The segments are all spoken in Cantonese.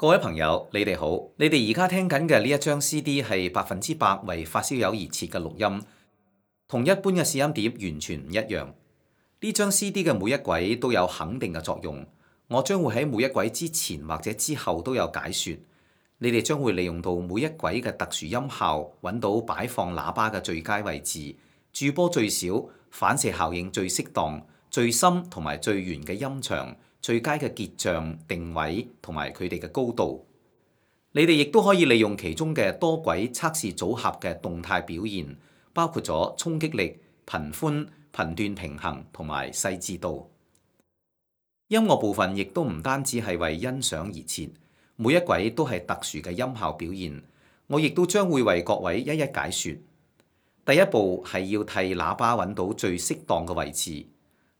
各位朋友，你哋好！你哋而家聽緊嘅呢一張 CD 係100%為發燒友而設嘅錄音，同一般嘅試音碟完全唔一樣。呢張 CD 嘅每一軌都有肯定嘅作用，我將會喺每一軌之前或者之後都有解說。你哋將會利用到每一軌嘅特殊音效，揾到擺放喇叭嘅最佳位置、駐波最少、反射效應最適當、最深同埋最圓嘅音場、最佳嘅結像、定位同埋佢哋嘅高度。你哋亦都可以利用其中嘅多軌測試組合嘅動態表現，包括咗衝擊力、頻寬、頻段平衡同埋細緻度。音樂部分亦都唔單止係為欣賞而設，每一軌都係特殊嘅音效表現。我亦都將會為各位一一解說。第一步係要替喇叭揾到最適當嘅位置。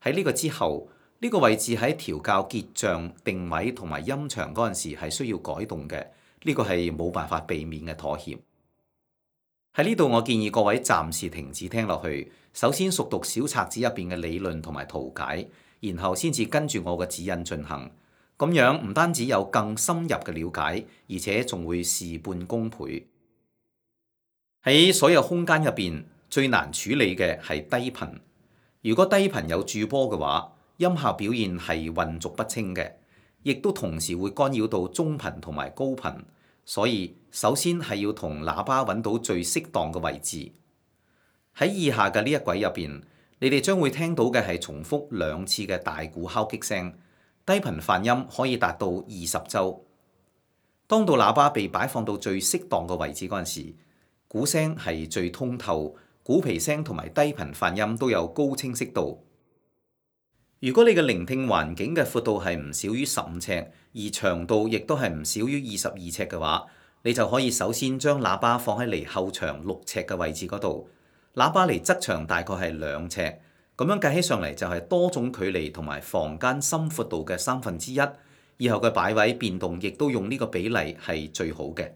喺呢個之後，呢個位置喺調校結像、定位同埋音場嗰陣時係需要改動嘅，呢個係冇辦法避免嘅妥協。喺呢度我建議各位暫時停止聽落去，首先熟讀小冊子入邊嘅理論同埋圖解，然後先至跟住我嘅指引進行。咁樣唔單止有更深入嘅了解，而且仲會事半功倍。喺所有空間入邊，最難處理嘅係低頻。如果低頻有駐波嘅話，音效表現係混濁不清嘅，亦都同時會干擾到中頻同埋高頻，所以首先係要同喇叭揾到最適當嘅位置。喺以下嘅呢一軌入邊，你哋將會聽到嘅係重複2次嘅大鼓敲擊聲，低頻泛音可以達到20周。當到喇叭被擺放到最適當嘅位置嗰陣時，鼓聲係最通透，鼓皮聲同埋低頻泛音都有高清晰度。如果你嘅聆聽環境嘅闊度係唔少於15尺，而長度亦都係唔少於22尺嘅話，你就可以首先將喇叭放喺離後牆6尺嘅位置嗰度，喇叭離側牆大概係2尺，咁樣計起上嚟就係多種距離同埋房間深闊度嘅1/3。以後嘅擺位變動亦都用呢個比例係最好嘅。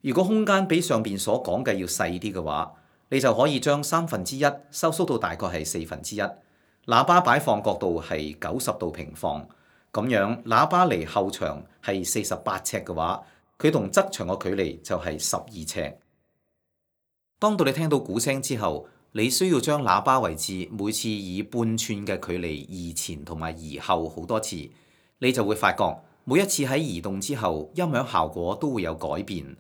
如果空間比上邊所講嘅要細啲嘅話，你就可以將1/3收縮到大概係1/4。喇叭擺放角度係90度平放，咁樣喇叭離後牆係48尺嘅話，佢同側牆嘅距離就係12尺。當到你聽到鼓聲之後，你需要將喇叭位置每次以半寸嘅距離移前同埋移後好多次，你就會發覺每一次喺移動之後，音響效果都會有改變。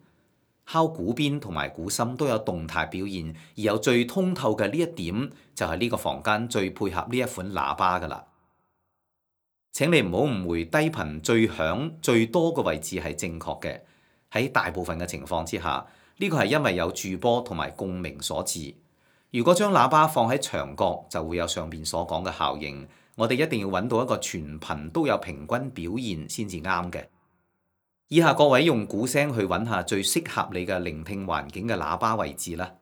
敲鼓邊同埋鼓心都有動態表現，而有最通透嘅呢一點就係呢個房間最配合呢一款喇叭㗎喇。請你唔好誤會，低頻最響最多嘅位置係正確嘅。喺大部分嘅情況之下，呢個係因為有駐波同埋共鳴所致。如果將喇叭放喺牆角，就會有上邊所講嘅效應。我哋一定要揾到一個全頻都有平均表現先至啱嘅。以下各位用鼓聲去揾下最適合你嘅聆聽環境嘅喇叭位置啦。